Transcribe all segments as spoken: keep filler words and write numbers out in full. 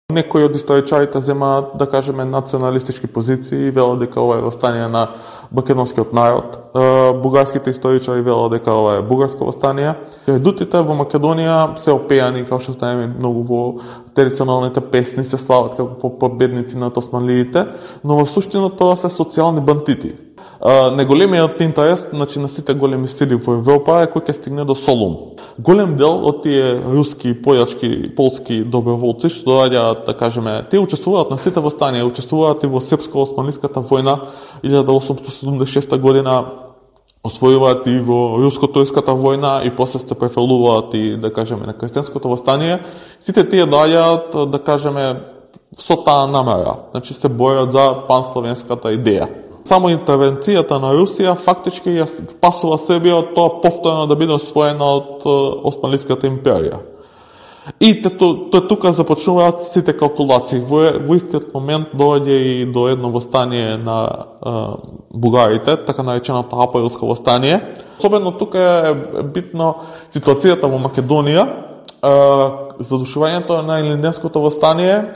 Некои од историчарите земаат, да кажеме, националистички позиции и велат дека ова е востание на македонскиот народ. Бугарските историчари велат дека ова е бугарско востание. Редутите во Македонија се опеани, како што знаеме, многу во традиционалните песни се слават како победници над османлиите, но во суштина тоа се социјални бандити. Неголемиот интерес, значи, на сите големи сили во Европа е кој ќе стигне до Солун. Голем дел од тие руски, појачки, полски доброволци што доаѓаат, да кажеме, те учествуваат на сите востанија, учествуваат и во српско-османлиската војна илјада осумстотини седумдесет и шеста година, освојуваат и во руско-турската војна и после се префрлуваат и, да кажеме, на крстенското востание. Сите тие доаѓаат, да кажеме, со таа намера, значи се борат за пансловенската идеја. Само интервенцијата на Русија фактички ја спасува Србија од тоа повторно да биде освоена од Османлиската империја. И тоа тука започнуваат сите калкулации. Во, во истиот момент доаѓа и до едно востание на е, бугарите, така нареченото априлско востание. Особено тука е битно ситуацијата во Македонија, е, задушувањето на Илинденското востание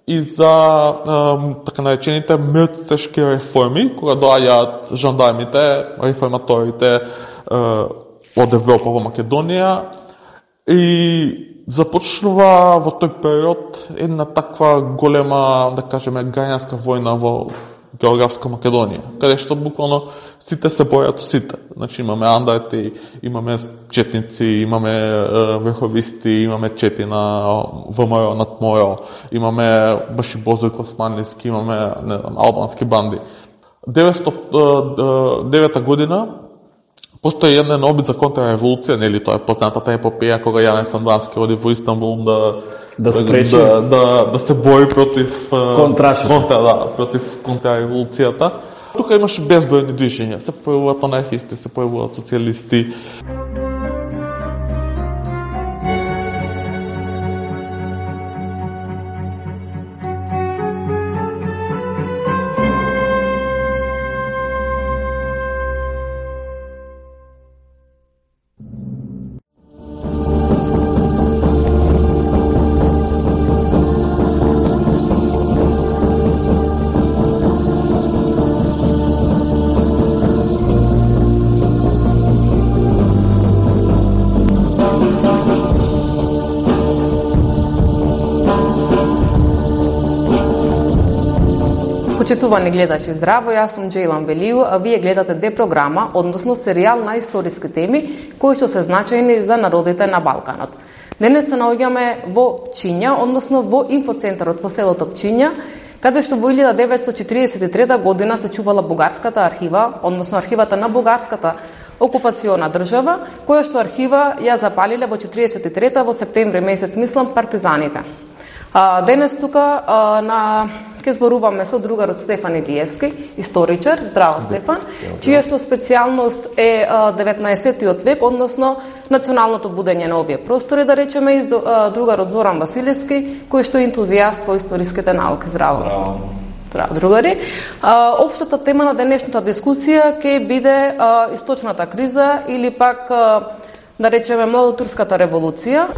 и за е, така наречените мртвешки реформи, кога доаѓаат жандармите, реформаторите е, од Европа во Македонија и започнува во тој период една таква голема, да кажеме, граѓанска војна во географска Македонија, каде што буквално сите се бојат сите. Значи имаме андарти, имаме четници, имаме е, врховисти, имаме чети на ВМРО над МОРО, имаме баши Бозојко османлиски, имаме не знам, албански банди. деветстотини и девета година постои еден обид за контрреволуција, нели тоа е познатата епопеја кога Јане Сандански оди во Истанбул да да спречи да, да, да се бори против контрашите. контра, да, против контрреволуцијата. Тука имаше безбројни движења, се појавуваат анархисти, се појавуваат социјалисти. Почитувани гледачи, здраво, јас сум Джейлан Велију, а вие гледате Д-програма, односно серијал на историски теми кои што се значајни за народите на Балканот. Денес се наоѓаме во Пчиња, односно во инфоцентарот во селото Пчиња, каде што во илјада деветстотини четиридесет и трета година се чувала бугарската архива, односно архивата на бугарската окупациона држава, која што архива ја запалиле во четиридесет и трета во септември месец, мислам, партизаните. А, денес тука а, на ке зборуваме со другарот Стефан Илиевски, историчар, здраво Стефан, чија што специјалност е а, деветнаесеттиот век, односно националното будење на овие простори, да речеме, и а, другарот Зоран Василевски, кој што е ентузијаст во историските науки. Здраво. Здраво. Здраво, другари. А, општата тема на денешната дискусија ќе биде а, источната криза или пак, а, да речеме, младотурската револуција.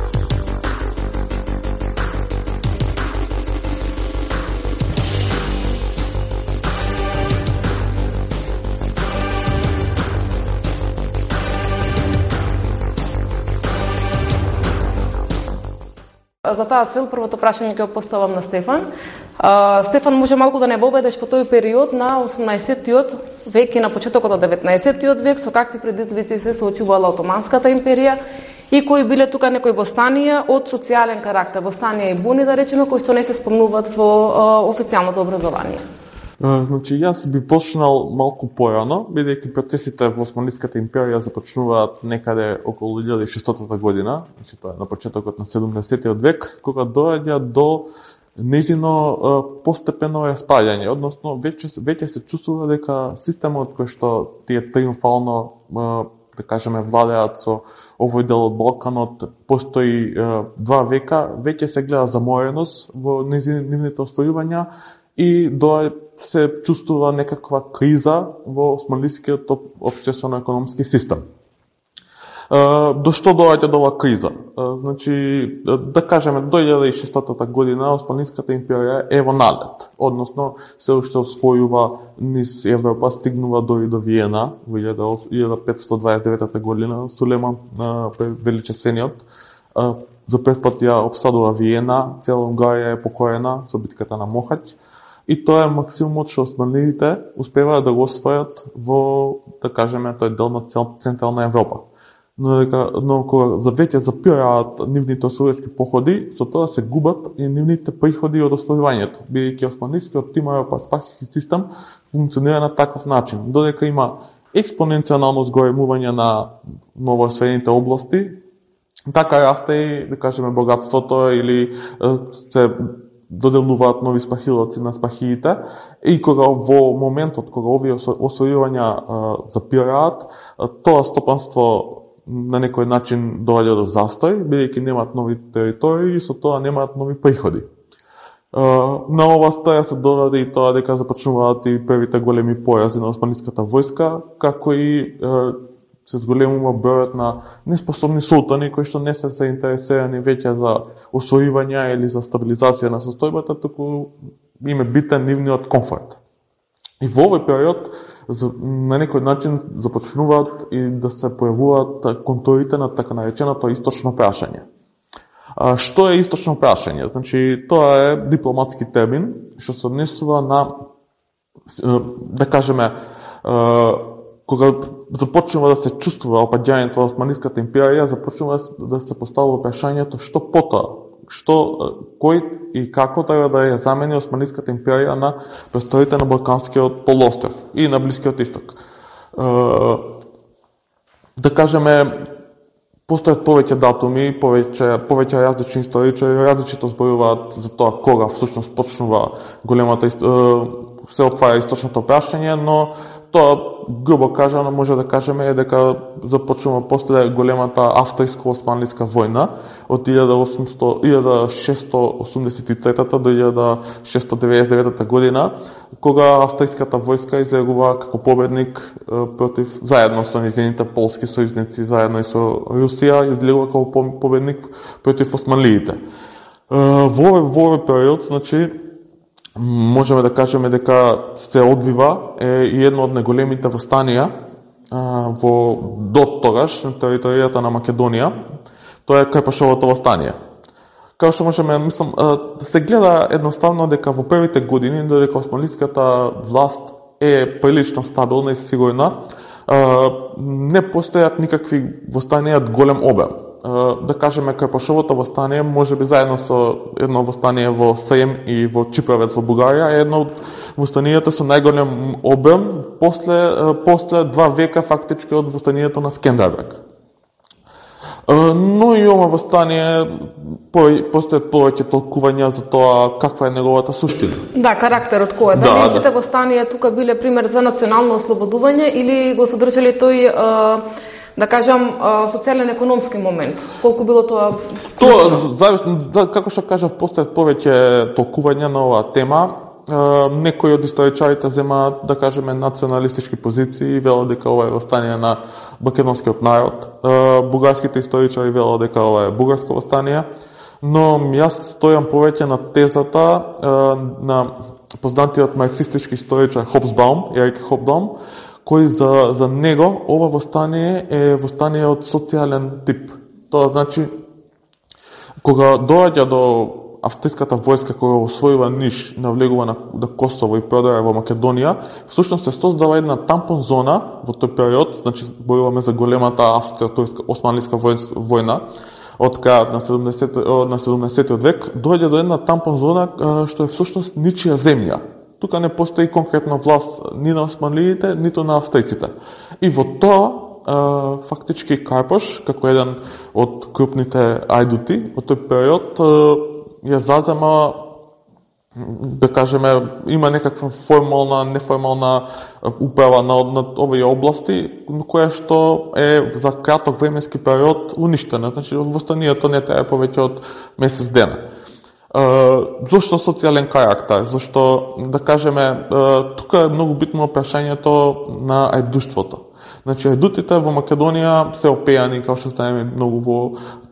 За таа цел првото прашање ќе го поставам на Стефан. А, Стефан, може малку да не воведеш во тој период на осумнаесеттиот век и на почетокот на деветнаесеттиот век, со какви предизвици се соочувала Отоманската империја и кои биле тука некои востанија од социјален карактер, востанија и буни, да речеме, кои што не се спомнуваат во а, официјалното образование. Значи, јас би почнал малку порано, бидејќи процесите во Османлиската империја започнуваат некаде околу илјада и шестстотина година, значи тоа е на почетокот на седумдесеттиот век, кога доаѓа до нејзино постепено распаѓање, односно веќе веќе се чувствува дека системот кој што тие триумфално, да кажеме, владеат со овој дел од Балканот, постои два века, веќе се гледа замореност во нивните освојувања и до се чувствува некаква криза во османлискиот општествено-економски систем. До што доаѓа до оваа криза? Значи, да кажеме, до две илјади и шестотата година Османлиската империја е во налет, односно се уште освојува низ Европа, стигнува до и до Виена во илјада петстотини дваесет и деветата година. Сулеман Величествениот за прв пат ја обсадува Виена, цела Унгарија е покорена со битката на Мохач. И тоа е максимумот што османлиите успеваат да го освојат во, да кажеме, тој дел на Централна Европа. Но, дека, но кога за веќе запираат нивните освојачки походи, со тоа се губат и нивните приходи од освојувањето, бидејќи османлискиот тимаро-паспахиски систем функционира на таков начин, додека има експоненцијално зголемување на новоосвоените области, така расте и, да кажеме, богатството или се доделуваат нови спахилаци на спахиите, и кога во моментот кога овие освојувања запираат, тоа стопанство на некој начин доаѓа до застој, бидејќи немаат нови територии и со тоа немаат нови приходи. На ова стоја се додаде и тоа дека започнуваат и првите големи порази на османлиската војска, како и се зголемува бројот на неспособни султани кои што не се заинтересирани веќе за освојување или за стабилизација на состојбата, туку им е битен нивниот комфорт. И во овој период на некој начин започнуваат и да се појавуваат контурите на така нареченото источно прашање. Што е источно прашање? Значи, тоа е дипломатски термин што се однесува на, да кажеме, кога започнува да се чувствува опаѓањето на Османлиската империја, започнува да се поставува прашањето што потоа, што, кој и како треба да ја замени Османлиската империја на престоите на Балканскиот полуостров и на Блискиот исток. Да кажеме, постојат повеќе датуми, повеќе, повеќе различни историчари, различито зборуваат за тоа кога всушност почнува големата, се отвара источното прашање, но тоа, грубо кажано, може да кажеме е дека започнува после големата австриско-османлиска војна од илјада шестстотини осумдесет и трета до илјада шестстотини деветдесет и девета година, кога австриската војска излегува како победник против, заедно со низините полски сојузници, заедно и со Русија, излегува како победник против османлиите. Во овој период, значи, можеме да кажеме дека се одвива е и едно од најголемите востанија во до тогаш на територијата на Македонија. Тоа е Карпашовото востание. Како што можеме, мислам, се гледа едноставно дека во првите години, додека османлиската власт е прилично стабилна и сигурна, не постојат никакви востанија од голем обем. Да кажеме, Карпашовото востание, може би заедно со едно востание во Срем и во Чиправец во Бугарија, е едно од востанијата со најголем обем после, после два века фактички од востанието на Скендербег. Но и ова востание постојат повеќе толкувања за тоа каква е неговата суштина. Да, карактерот кој е. Дали да, сите да. Востанија тука биле пример за национално ослободување или го содржале тој, да кажам, социјален-економски момент? Колку било тоа? Тоа зависно, да, како што кажав, постојат повеќе толкувања на оваа тема. Некои од историчарите земаат, да кажеме, националистички позиции и велат дека ова е востание на македонскиот народ. Бугарските историчари велат дека ова е бугарско востание, но јас стојам повеќе на тезата на познатиот марксистички историчар Хобсбаум, Ерик Хобсбаум, кој за, за него ова востание е востание од социјален тип. Тоа значи, кога доаѓа до австриската војска која освојува Ниш, навлегува на, на Косово и продара во Македонија, всушност се создава една тампон зона во тој период, значи зборуваме за големата австријско-османлиска војна од крајот на седумнаесеттиот век, доаѓа до една тампон зона што е всушност ничија земја. Тука не постои конкретна власт ни на османлиите, ниту на австријците. И во тоа, фактички Карпаш, како еден од крупните ајдути од тој период, ја зазема, да кажеме, има некаква формална, неформална управа на, на овие области, која што е за краток временски период уништена. Значи, востанието не трае повеќе од месец дена. Зошто социјален карактер? Зашто, да кажеме, тука е многу битно прашањето на ајдуштвото. Значи, ајдутите во Македонија се опејани, како што знаеме многу во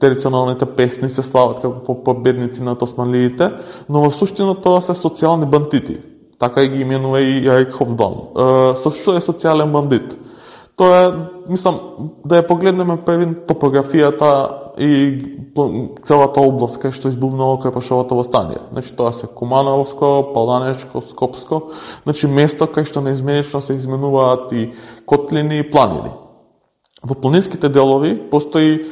традиционалните песни, се слават како победници над османлиите, но во суштина тоа се социјални бандити. Така ги именува и Ерик Хофбаум. Со што е социјален бандит? Тоа е, мислам, да ја погледнеме првин топографијата и целата област кај што избувнало Крепашовото востание. Значи, тоа се Кумановско, Паланечко, Скопско, значи место кај што неизменично се изменуваат и котлини и планини. Во планинските делови постои е,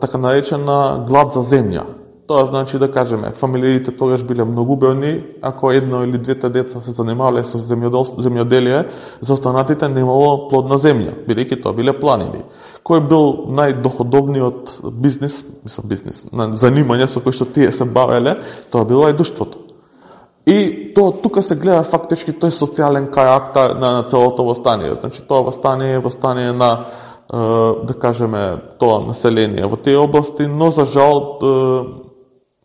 така наречена глад за земја. Тоа значи, да кажеме, фамилиите тогаш биле многу бројни, ако едно или двете деца се занимавале со земјоделие, за останатите немало плодна земја, бидејќи тоа биле планини. Кој бил најдоходовниот бизнис, мислам бизнис, занимање со кој што тие се бавеле, тоа било ајдуштвото. И тоа тука се гледа фактички тој социјален карактер на, на целото востание. Значи, тоа востание е востание на, е, да кажеме, тоа население во тие области, но за жал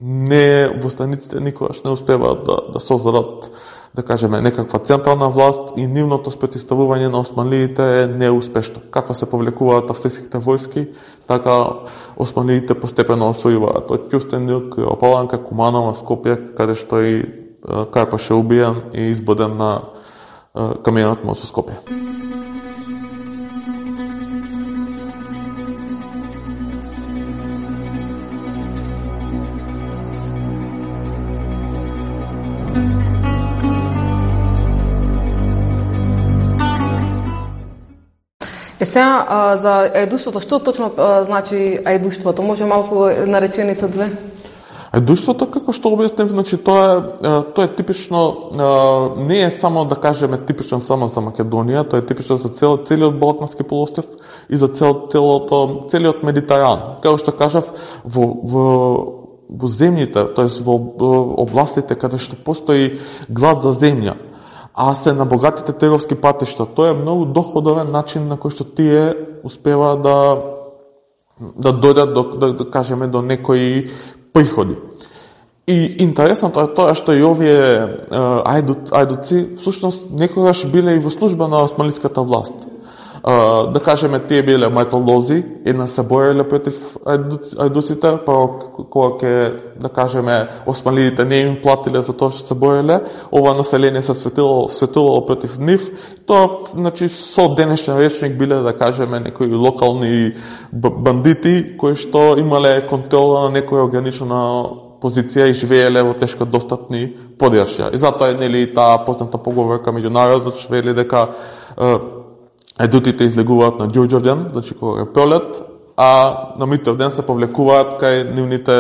не востаниците никогаш не успеваат да, да создадат, да кажеме, некаква централна власт и нивното спротивставување на османлиите е неуспешно. Како се повлекуваат австриските војски, така османлиите постепено освојуваат од Кюстендил, Опаланка, Куманово, Скопје, каде што и Карпаш е убиен и избоден на камионот мост во Скопје. Е сега, за ајдуштвото, што точно а, значи ајдуштвото? Може малку на реченица две? Ајдуштвото, како што објаснив, значи тоа е тоа е типично, не е само, да кажеме, типично само за Македонија, тоа е типично за цел целиот Балкански полуостров и за цел целото целиот Медитеран. Како што кажав, во во во земјите, тоест во областите каде што постои глад за земја, а се на богатите теговски патишта. Тоа е многу доходовен начин на кој што тие успеваат да да дојдат до, да, да кажеме, до некои приходи. И интересното е тоа што и овие ајдут, ајдуци всушност некогаш биле и во служба на османлиската власт. Uh, да кажеме, тие биле мајтолози, една се бореле против ајдуците, па кога ќе, да кажеме, османлиите не им платиле за тоа што се бореле, ова население се светило, светувало против нив. Тоа, значи, со денешен речник биле, да кажеме, некои локални бандити кои што имале контрола на некоја ограничена позиција и живееле во тешко достатни подрачја. И затоа е, нели, таа позната поговорка меѓу народот, што вели дека ајдутите излегуваат на Ѓурѓовден, значи кога е пролет, а на Митровден се повлекуваат кај нивните,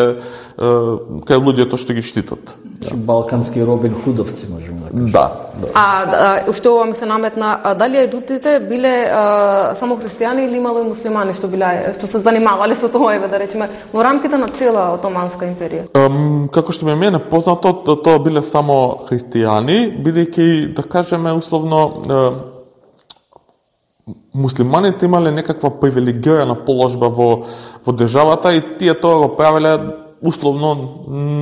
кај луѓето што ги штитат. Значи балкански Робин Худовци, можеме да кажем. Да, да. А, да, уште ова ми се наметна, а, дали ајдутите биле а, само христијани или имало и муслимани што биле, што се занимавале со тоа, еве да речеме, во рамките на цела Отоманска империја? Um, како што ми мене познато, тоа биле само христијани, бидејќи, да кажеме, условно, муслиманите имале некаква привилегирана положба во, во државата и тие тоа го правеле условно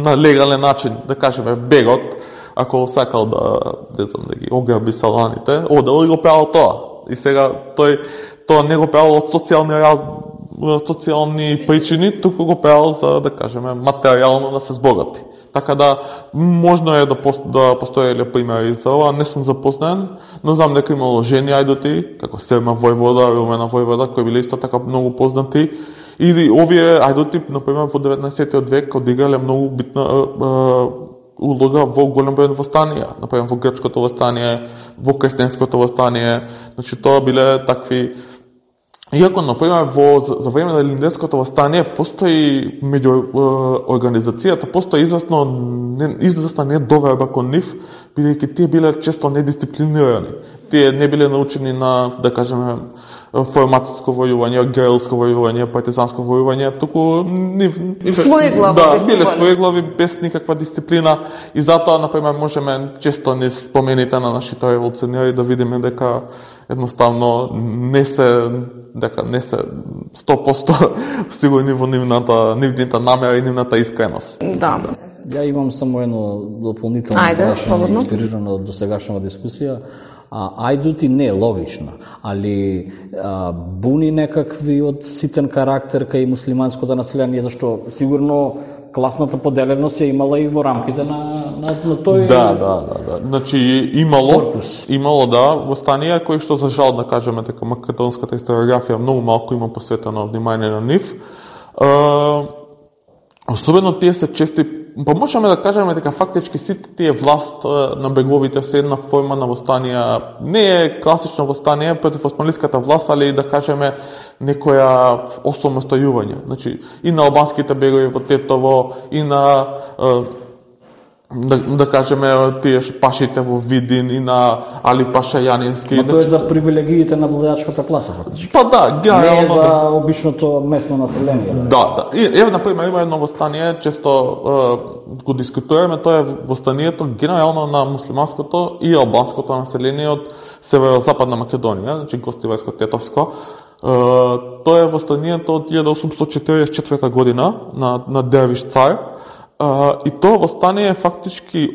на легален начин, да кажеме, бегот, ако сакал да, не знам, да ги ограби саланите, одел и го правил тоа. И сега тој тоа не го правил од социјални социјални причини, туку го правил за, да кажеме, материјално да се збогати. Така да, можно е да, пост, да постоеле примери за ова, не сум запознан, но знам дека имало жени ајдути, како Серма војвода, Румена војвода, кои биле исто така многу познати. И овие ајдути, например, во деветнаесеттиот век одиграле многу битна е, е, улога во голем број востанија, например во грчкото востание, во крстенското востание, значи тоа биле такви. Иако, например, во, за време на Илинденското востание постои меѓу е, организацијата, постои известно, не, известна недоверба кон нив, бидејќи тие биле често недисциплинирани. Тие не биле научени на, да кажеме, форматско војување, герилско војување, партизанско војување, туку нив, своеглави, да, биле своеглави без никаква дисциплина и затоа, например, можеме често не спомените на нашите револуционери да видиме дека едноставно не се дека не се сто проценти сигурни во нивната нивната намера и нивната искреност. Да. Ја имам само едно дополнително прашање, инспирирано од досегашната дискусија. А, ајдути не, логично, али а, буни некакви од ситен карактер кај муслиманското население, зашто сигурно класната поделеност ја имала и во рамките на, на, на тој... Да, да, да, да. Значи, имало, корпус. имало, да, востанија кои што, за жал, да кажеме, дека македонската историографија многу малку има посветено внимание на нив. Uh, особено тие се чести, па можеме да кажеме дека фактички сите тие власт на беговите се една форма на востанија, не е класично востание против османлиската власт, али да кажеме некоја осамостојување. Значи, и на албанските бегови во Тетово, и на да, да кажеме тие пашите во Видин, и на Али Паша Јанински. Но тоа е за привилегиите на владачката класа, фактички. Па да, генерално. Не е за обичното местно население. Да, да. И еве, например, има едно востание, често е, го дискутираме, тоа е востанието генерално на муслиманското и албанското население од северозападна Македонија, значи Гостивајско-Тетовско. Uh, тоа е востанието од илјада осумстотини четиридесет и четврта година на, на Дервиш цар. Uh, и тоа востание е фактички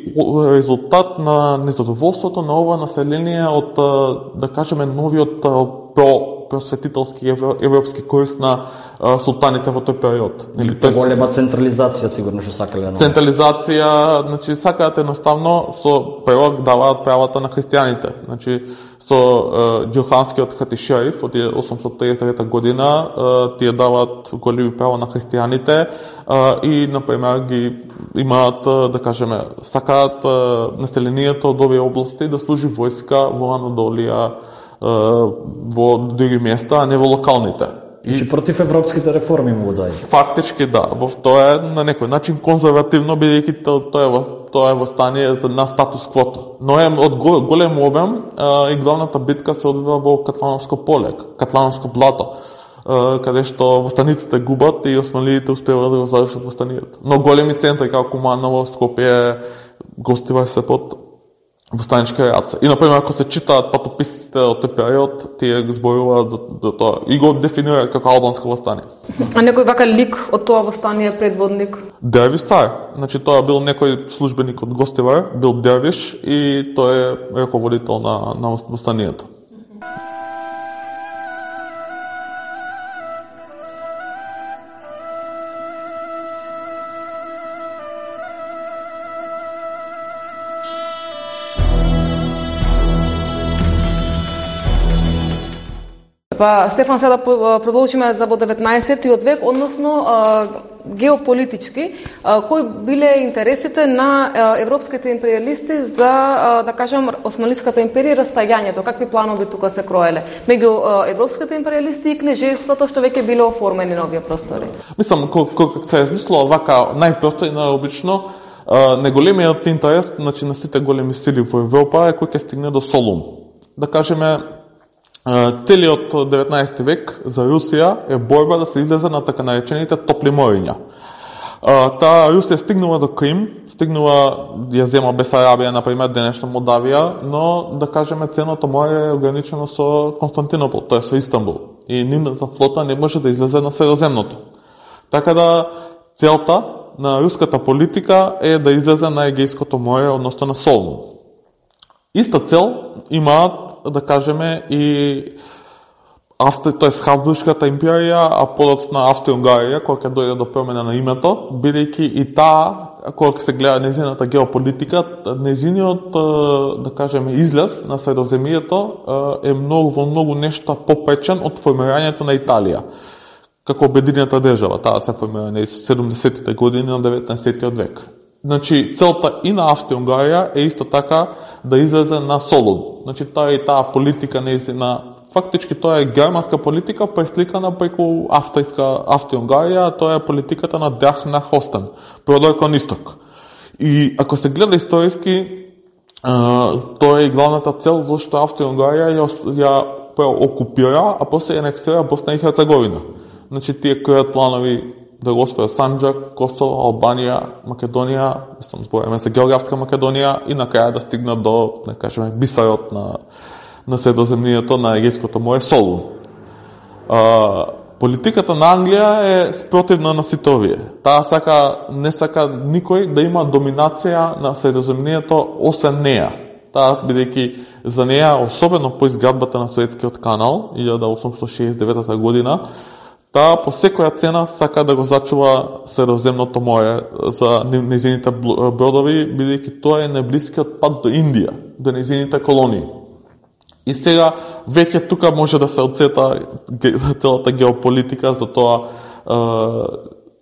резултат на незадоволството на ова население од, uh, да кажеме, новиот uh, про просветителски европски курс на uh, султаните во тој период. Или тоа голема централизација, сигурно што сакале. Централизација, значи сакаат едноставно со превод даваат правата на христијаните. Значи со uh, Џилханскиот хатишериф од осумстотини триесет и девета година uh, тие даваат големи права на христијаните uh, и например ги имаат, uh, да кажеме, сакаат uh, населението од овие области да служи војска во Анадолија, uh, во други места, а не во локалните. И против европските реформи му дај. Фактички да, во тоа е на некој начин конзервативно, бидејќи тоа е тоа е востание на статус квото. Но е од голем обем а, и главната битка се одвива во Катлановско поле, Катлановско блато, а, каде што востаниците губат и османлиите успеваат да го завршат востанието. Но големи центри како Куманово, Скопје, Гостивај се под востанички реакции. И, например, ако се читаат патописите од тој период, тие го зборуваат за, за тоа и го дефинираат како албанско востание. А некој вака лик од тоа востание предводник? Дервиш цар. Значи, тоа бил некој службеник од Гостивар, бил Дервиш и тој е раководител на, на востанието. Па, Стефан, сега да продолжиме за во деветнаесеттиот век, односно а, геополитички, а, кои биле интересите на а, европските империалисти за, а, да кажем, Османлиската империја и распаѓањето, какви планови тука се кроеле меѓу европските империалисти и кнежеството што веќе биле оформени на овие простори? Мислам, кога се измислило вака најпросто и најобично, неголемиот интерес, значи, на сите големи сили во Европа е кој ќе стигне до Солун. Да кажеме, целиот деветнаесети век за Русија е борба да се излезе на така наречените топли мориња. Таа Русија стигнува до Крим, стигнува ја зема Бесарабија, например, денешна Молдавија, но да кажеме ценото море е ограничено со Константинопол, тоа е со Истанбул. И нивната флота не може да излезе на Средоземното. Така да целта на руската политика е да излезе на Егејското море, односно на Солун. Иста цел имаат, да кажеме, и Австри, тоест Хабсбуршката империја, а подоцна Австро-Унгарија, која ќе дојде до промена на името, бидејќи и таа, кога се гледа незината геополитика, незиниот, да кажеме, излез на Средоземјето е многу во многу нешто попречен од формирањето на Италија како обединета држава. Таа се формира на седумдесеттите години на деветнаесеттиот век. Значи, целта и на Австро-Унгарија е исто така да излезе на Солун. Значи, таа и таа политика неизина, фактички тоа е германска политика пресликана преку австријска Австро-Унгарија, тоа е политиката на Драх на Хостен, продор кон исток. И ако се гледа историски, тоа е и главната цел зашто Австро-Унгарија ја, ја окупира, а после ја анексира Босна и Херцеговина. Значи, тие креат планови да го освојат Санџак, Косово, Албанија, Македонија, мислам, збориме за географска Македонија и на крај да стигнат до, да кажеме, бисарот на, на Средоземнието, на Егејското море, Солун. А, политиката на Англија е спротивна на сите овие. Таа сака, не сака никој да има доминација на Средоземнието освен неа. Таа, бидејќи за неја, особено по изградбата на Суетскиот канал, илјада осумстотини шеесет и девета година, таа по секоја цена сака да го зачува Средоземното море за нејзините бродови, бидејќи тоа е најблискиот пат до Индија, до нејзините колонии. И сега веќе тука може да се одсета целата геополитика за тоа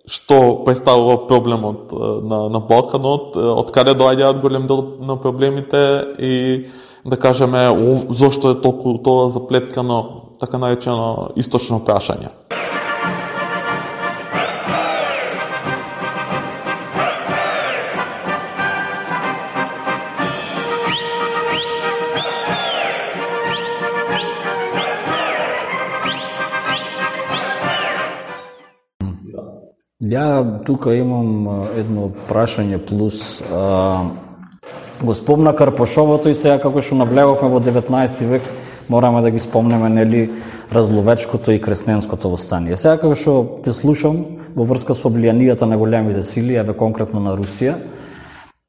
што представува проблемот на, на Балканот, од каде доаѓаат голем дел на проблемите и да кажеме зошто е толку тоа заплеткано, така наречено источно прашање. Ја тука имам едно прашање плюс. А, го спомна Карпошовото и сега како што навлеговме во деветнаесети век, мораме да ги спомнеме, нели, Разловечкото и Кресненското востание. Сега како што те слушам во врска со влијанијата на големите сили, еве конкретно на Русија,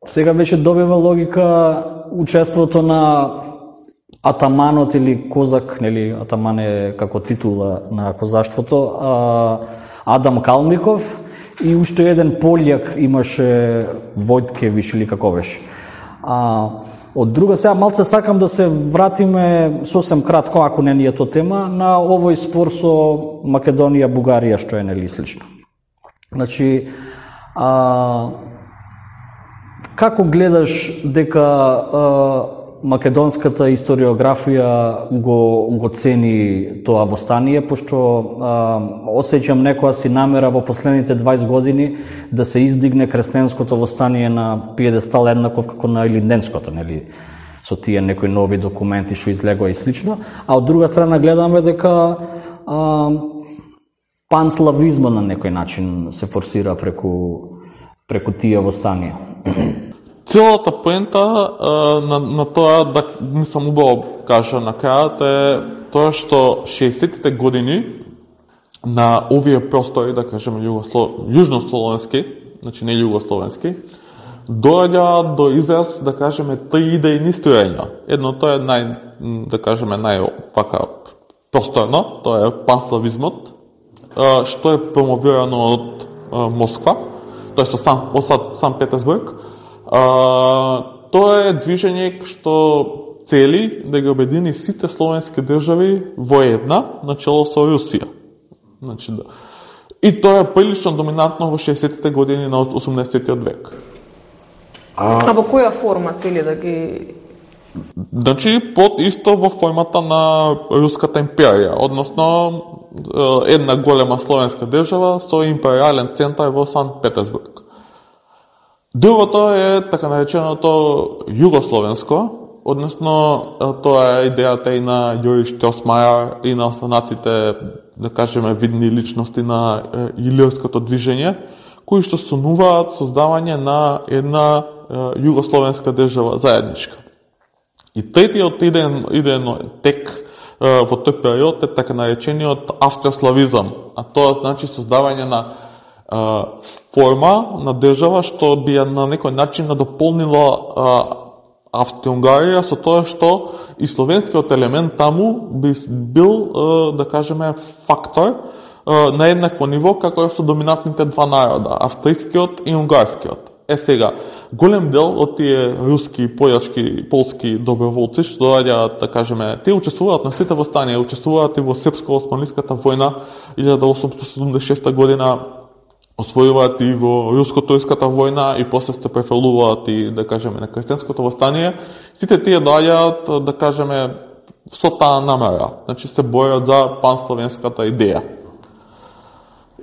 сега веќе добива логика учеството на атаманот или козак, нели, атаман е како титула на козаштвото, а, Адам Калмиков и уште еден пољак имаше Војткевич или како беше. А, од друга, сега малце сакам да се вратиме сосем кратко, ако не ни е то тема, на овој спор со Македонија, Бугарија, што е нели слично. Значи, а, како гледаш дека а, македонската историографија го, го цени тоа востание, пошто а, осеќам некоја си намера во последните дваесет години да се издигне Кресненското востание на пиедестал еднаков како на Илинденското, нели, со тие некои нови документи што излегоа и слично, а од друга страна гледаме дека а, панславизма на некој начин се форсира преку, преку тие востанија. Целата поента на, на тоа, да мислам убаво кажа на крајот, е тоа што шеесеттите години на овие простори, да кажеме југослов... јужнословенски, значи не југословенски, доаѓа до израз, да кажеме, три идејни строења. Едното е нај, да кажеме, нај вака просторно, тоа е панславизмот, што е промовирано од Москва, тоа е со Сан, од Сан Петерсбург. А, тоа е движење што цели да ги обедини сите словенски држави во една, начело со Русија. Значи, да. И тоа е прилично доминантно во шеесеттите години на осумдесетиот век. А, а во која форма цели да ги... Значи, под исто во формата на Руската империја, односно една голема словенска држава со империјален центар во Сан Петерсбург. Другото е така нареченото југословенско, односно тоа е идејата и на Јори Штросмајер и на останатите, да кажеме, видни личности на илирското движење, кои што сонуваат создавање на една југословенска држава заедничка. И третиот идеен, идеен тек во тој период е така наречениот австрославизам, а тоа значи создавање на форма на држава што би ја на некој начин надополнила Австро-Унгарија со тоа што и словенскиот елемент таму би бил, да кажеме, фактор на еднакво ниво како со доминантните два народа, австријскиот и унгарскиот. Е сега, голем дел од тие руски, појачки, полски доброволци што доаѓаат, да кажеме, тие учествуваат на сите востанија, учествуваат и во Српско-османлиската војна илјада осумстотини седумдесет и шеста година, освојуваат и во Руско-турската војна и после се префалуваат и, да кажеме, на Кресненското востание. Сите тие доаѓаат, да кажеме, со таа намера. Значи се борат за пансловенската идеја.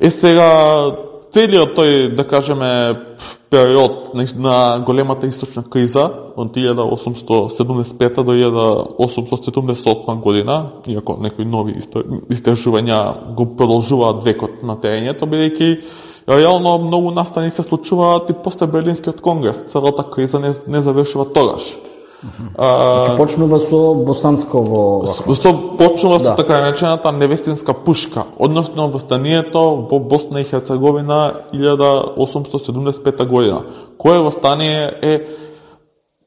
Е сега, целиот тој, да кажеме, период на големата источна криза од илјада осумстотини седумдесет и пета до илјада осумстотини седумдесет и осма година, иако некои нови истражувања го продолжуваат векот на терењето, бидејќи реално многу настани се случуваат и после Берлинскиот конгрес. Целата криза не, не завршува тогаш. Значи почнува со Босансково... Со, почнува да. со така наречената невестинска пушка, односно востанието во Босна и Херцеговина илјада осумстотини седумдесет и пета година. Кое востание е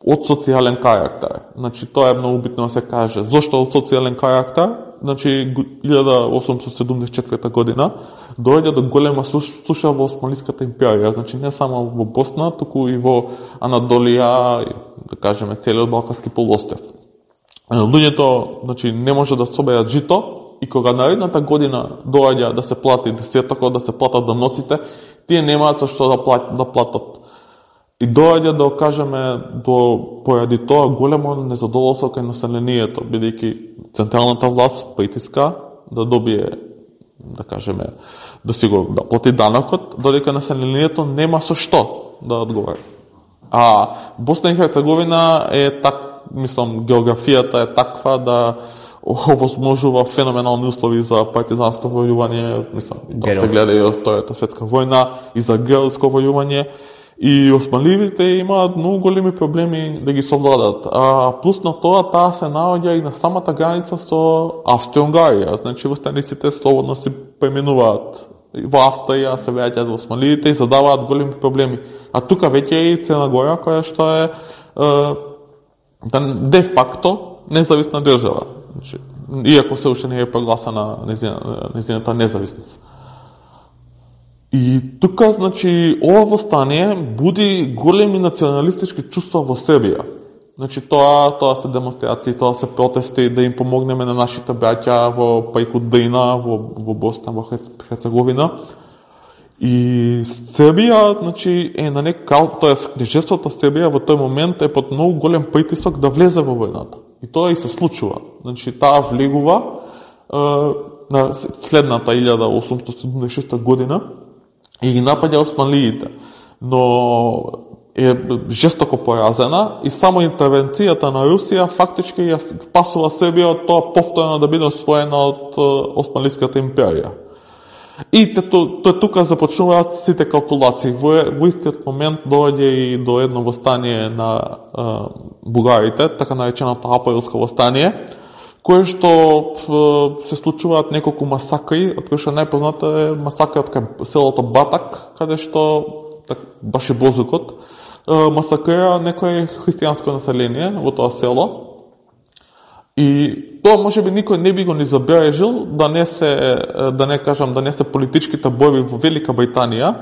од социјален карактер. Значи, тоа е многу битно да се каже. Зошто од социјален карактер? Значи, илјада осумстотини седумдесет и четврта година доаѓа до голема суша во Османлиската империја. Значи, не само во Босна, туку и во Анадолија, да кажеме, целиот Балкански полуостров. Луѓето, значи, не може да соберат жито и кога наредната година доаѓа да се плати десетокот, да се платат даноците, тие немаат што да платат, да платат. И доаѓа да кажеме до поради тоа големо незадоволство кај населението, бидејќи централната власт притиска да добие, да кажеме, да си го да плати данокот, додека населението нема со што да одговори. А Босна и Херцеговина е так, мислам, географијата е таква да овозможува феноменални услови за партизанско војување, мислам, да се гледа и од Втората светска војна, и за герилско војување. И османливите имаат многу големи проблеми да ги совладат. А плюс на тоа, таа се наоѓа и на самата граница со Австрија-Унгарија. Значи, востаниците слободно се преминуваат во Австрија, се веќе во османливите и задаваат големи проблеми. А тука веќе е и Црна Гора, која што е, е де факто независна држава. Значи, иако се уште не е прогласена нејзината независност. И тука, значи, ова восстание буди големи националистички чувства во Србија. Значи, тоа, тоа се демонстрации, тоа се протести да им помогнеме на нашите браќа во преку Дрина, во, во Босна, во Херцеговина. И Србија, значи, е на нека, тоа е книжеството Србија во тој момент е под многу голем притисок да влезе во војната. И тоа и се случува. Значи, таа влегува е, на следната илјада осумстотини седумдесет и шеста година и ги напаѓа османлиите. Но е жестоко поразена и само интервенцијата на Русија фактички ја спасува Србија од тоа повторно да биде освоена од Османлиската империја. И тоа тука започнуваат сите калкулации. Во, во истиот момент доаѓа и до едно востание на а, бугарите, така нареченото априлско востание, кое што се случуваат неколку масакри, од кои што најпозната е масакрот кај селото Батак, каде што так, баш е Бозукот, масакрира некој христијанско население во тоа село. И тоа можеби никој не би го ни забележил да не се, да не кажам, да не се политичките борби во Велика Британија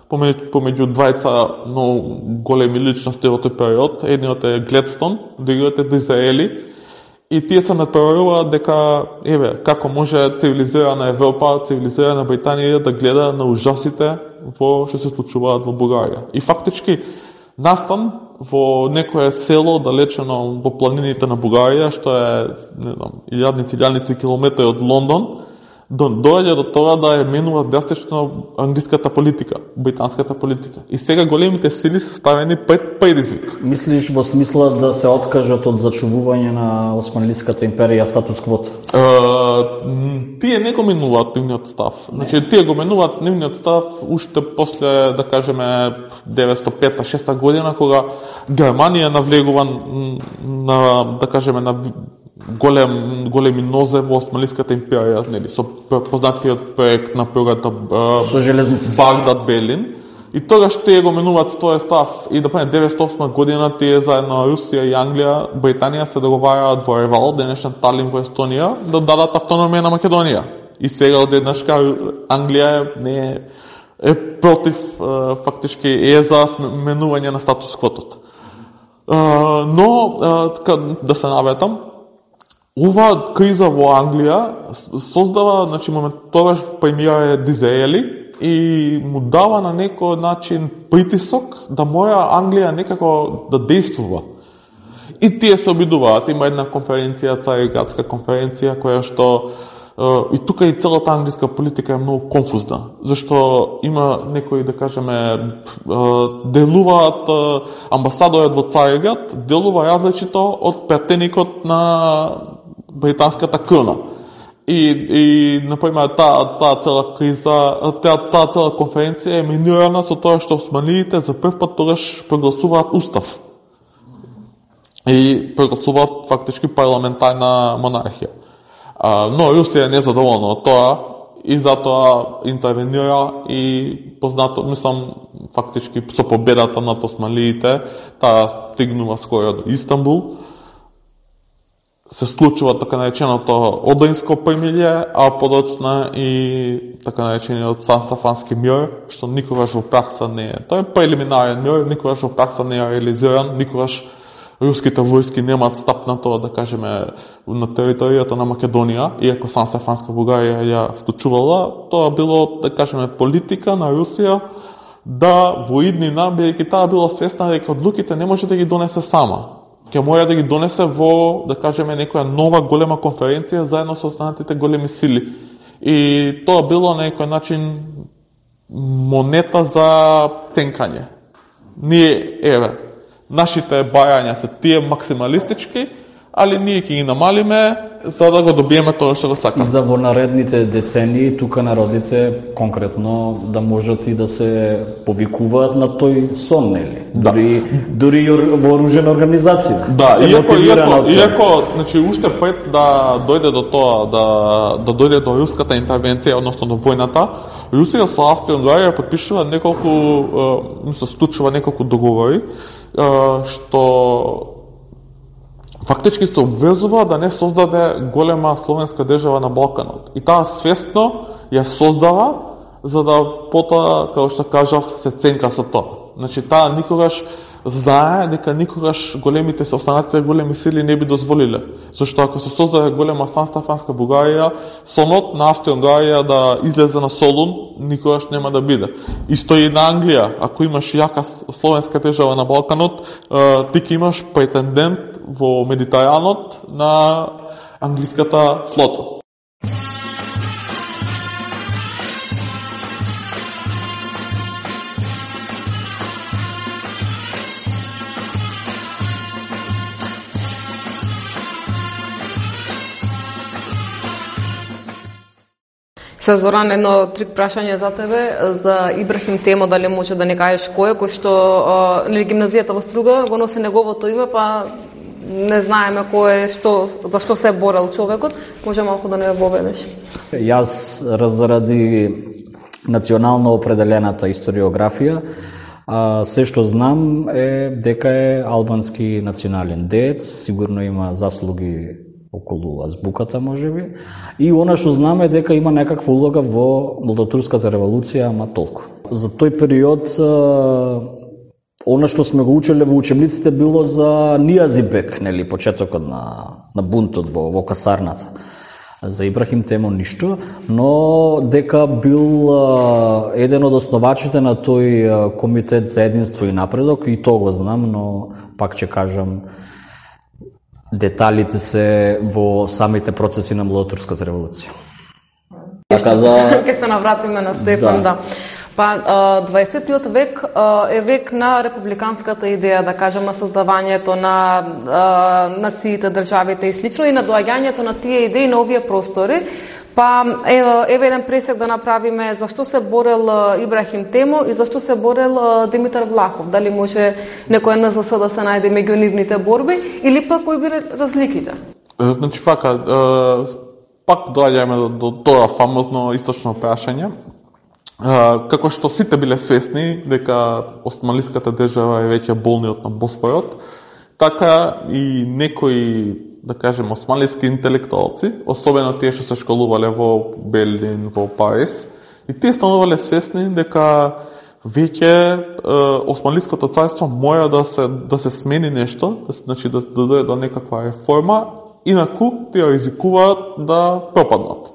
помеѓу, помеѓу двајца многу големи личности во тој период. Едниот е Гледстон, другиот е Дизраели. И тие се надпреваруваат дека, еве, како може цивилизирана Европа, цивилизирана Британија да гледа на ужасите во што се случуваат во Бугарија. И фактички настан во некое село далечено во планините на Бугарија, што е, не знам, илјадници, илјадници километри од Лондон, доаѓа до тоа да ја менува драстично англиската политика, британската политика. И сега големите сили се ставени пред предизвик. Мислиш во смисла да се откажат од зачувување на Османлиската империја статус квото? Тие не го менуваат нивниот став. Значи, тие го менуваат нивниот став уште после, да кажеме, деветстотини и пета шеста година, кога Германија навлегува на, да кажеме, на голем, големи нозе во Османлиската империја, нели, со познатиот проект на прогата Багдад Белин. И тогаш тие го менуваат тој став и да пане деветстотини и осма година тие заедно Русија и Англија, Британија се договараат во Ревал, денешен Талин во Естонија, да дадат автономија на Македонија. И сега одеднаш Англија не е, е против, фактички е за менување на статус квотот. Но, да се наветам, ова криза во Англија создава, значи, момент, тогаш премиер е Дизраели и му дава на некој начин притисок да мора Англија некако да действува. И тие се обидуваат, има една конференција, Цариградска конференција, која што и тука и целата англиска политика е многу конфузна, зашто има некои, да кажеме, делуваат амбасадорот во Цариград, делува различито од претеникот на британската крона. И, и например, таа та цела криза, таа та цела конференција е минирана со тоа што османлиите за прв пат тогаш прогласуваат устав. И прогласуваат фактички парламентарна монархија. А, но Русија е незадоволна од тоа и затоа интервенира и познато, мислам, фактички со победата над османлиите, таа стигнува скоро до Истанбул. Се склучува така нареченото Одринско примирје, а подоцна и така наречениот Сан-Стефански мир, што никогаш во пракса не е. Тој е прелиминарен мир, никогаш во пракса не е реализиран, никогаш руските војски немаат стапнато, да кажеме, на територијата на Македонија, иако Сан-Стефанска Бугарија ја вклучувала, тоа било, да кажеме, политика на Русија да во иднина, бидејќи таа била свесна дека одлуките не може да ги донесе сама. Ќе мора да ги донесе во, да кажеме, некоја нова голема конференција заедно со останатите големи сили. И тоа било на некој начин монета за ценкање. Ние, еве, нашите бајања се тие максималистички, али ние ќе ги намалиме за да го добиеме тоа што го сакаме. За во наредните децении тука народите конкретно да можат и да се повикуваат на тој сон, нели? Да. Дури дури вооружена организација. Да, иако иако иако значи уште пред да дојде до тоа да да дојде до руската интервенција, односно до војната, Русија со Австрија-Унгарија потпишува неколку, мислам, склучува неколку договори што фактички се обвезува да не создаде голема словенска држава на Балканот. И таа свесно ја создава за да потоа, како што кажав, се ценка со тоа. Значи таа никогаш знае дека никогаш големите се останатите големи сили не би дозволиле. Зашто ако се создаде голема Сан-Стефанска Бугарија, сонот на Австрија-Унгарија да излезе на Солун никогаш нема да биде. Исто и на Англија, ако имаш јака словенска држава на Балканот, ти ќе имаш претендент во Медитеранот на англиската флота. Се Зоран, едно трик прашање за тебе, за Ибрахим Темо, дали може да не кажеш кој е, кој што нели гимназијата во Струга го носи неговото име, па не знаеме кој е, што, за што се е борел човекот, може малку да не воведеш. Јас заради национално определената историографија, а, се што знам е дека е албански национален деец, сигурно има заслуги околу азбуката, можеби. И она што знаме дека има некаква улога во Молдотурската револуција, ама толку. За тој период, она што сме го учеле во учебниците било за Нијазибек, нели, почетокот на, на бунтот во, во касарната. За Ибрахим Темо ништо, но дека бил а, еден од основачите на тој а, комитет за единство и напредок, и тоа го знам, но пак ќе кажам, деталите се во самите процеси на Молдотурската револуција. Така да ќе се навратиме на Стефан, да. да. Па дваесеттиот век е век на републиканската идеја, да кажем, на создавањето на нациите, државите и слично, и на доаѓањето на тие идеи на овие простори. Па еве еден пресек да направиме зашто се борел Ибрахим Темо и зашто се борел Димитар Влахов. Дали може некој ен зе ес да се најде меѓу нивните борби или пак кои биле разликите? Значи пака, пак доаѓаме до, до тоа фамозно источно прашање. Како што сите биле свесни дека османлиската држава е веќе болниот на Босфорот, така и некои, да кажем, османлиски интелектуалци, особено тие што се школувале во Берлин, во Париз, и тие станувале свесни дека веќе е, османлиското царство мора да се да се смени нешто, да се, значи да да дојде до некаква реформа, инаку тие ризикуваат да пропаднат.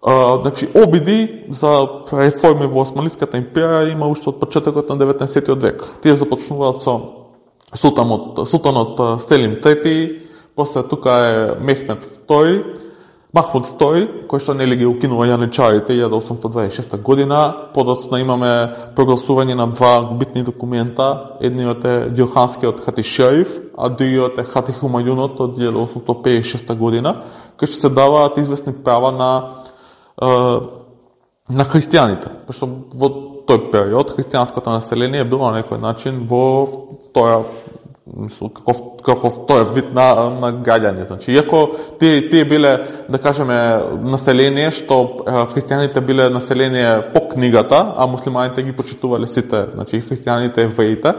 Uh, значи, обиди за реформи во Османлиската империја има уште од почетокот на деветнаесеттиот век. Тие започнуваат со султанот, султанот Селим трети, после тука е Мехмед втори, Махмуд втори, кој што нели ги укинува јаничарите илјада осумстотини дваесет и шеста година. Подоцна имаме прогласување на два битни документа. Едниот е Дилханскиот Хати Шериф, а другиот е Хати Хумајунот од илјада осумстотини педесет и шеста година, кој што се даваат известни права на на христијаните, пошто во тој период христијанското население било на некој начин во втора мислам, каков, каков тој е вид на, на граѓани. Значи, иако тие, тие биле, да кажеме, население, што христијаните биле население по книгата, а муслиманите ги почитувале сите, значи христијаните, евреите,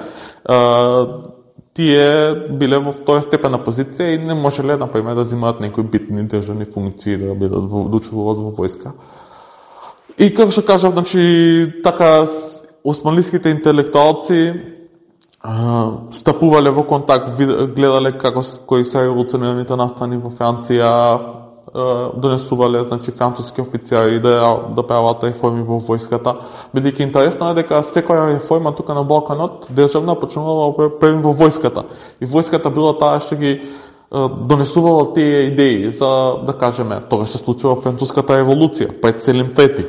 тие биле во тоја степена позиција и не можеле, например, да земаат некои битни државни функции, да бидат да учествуваат во војска. И како што кажав, значи, така османлиските интелектуалци стапувале во контакт, гледале како кои се револуционерните настани во Франција, донесувале, значи, француски офицери да, да прават реформи во војската. Бидејќи интересно е дека секоја реформа тука на Балканот државна почнувала во војската. И војската била таа што ги донесувала тие идеи за, да кажеме, тоа се случува француската револуција, пред Селим Трети.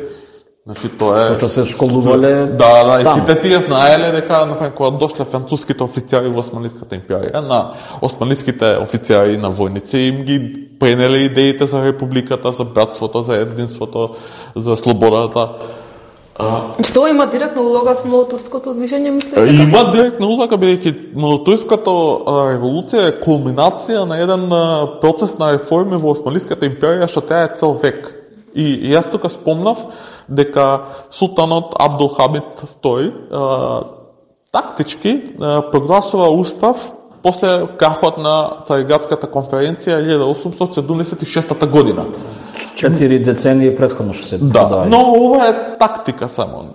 Значи тоа е Почто се школувале. Да, да, и сите тие знаеле дека например кога дошле француските офицери во Османлиската империја, на османлиските офицери на војници им ги пренеле идеите за републиката, за братството, за единството, за слободата. Што има директна улога со младотурското движење, мислите? Има директна улога, бидејќи младотурската револуција е кулминација на еден процес на реформи во Османлиската империја што трае цел век. И, и јас тука спомнав дека султанот Абдулхамид втори а, тактички а, прогласува устав после крахот на Цариградската конференција илјада осумстотини седумдесет и шеста година. Четири децении претходно што се Да, додај. Но ова е тактика само.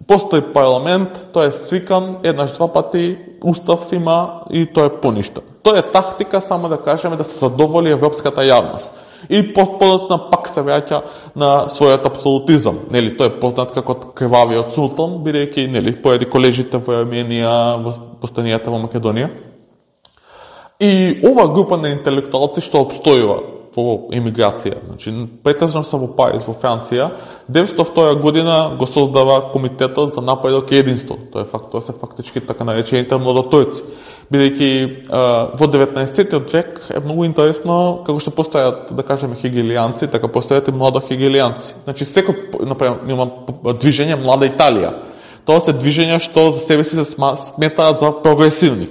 Постои парламент, тој е свикан еднаш два пати, устав има и тој е поништен. Тоа е тактика само да кажеме да се задоволи европската јавност. И подоцна пак се враќа на својот апсолутизам. Нели, тој е познат како крвавиот султан, бидејќи нели поради колежите во Арменија, во постанијата во Македонија. И ова група на интелектуалци што обстојува во емиграција, значи претежно се во Париз, во Франција, деветстотини и втора година го создава Комитетот за напредок и единство. Тоа е факт, тоа се фактички така наречените младотурци. Бидејќи во деветнаесеттиот век е многу интересно како што постојат, да кажеме, хегелијанци, така постојат и младо хегелијанци. Значи секој, например, има движење Млада Италија. Тоа се движења што за себе си се сметаат за прогресивни.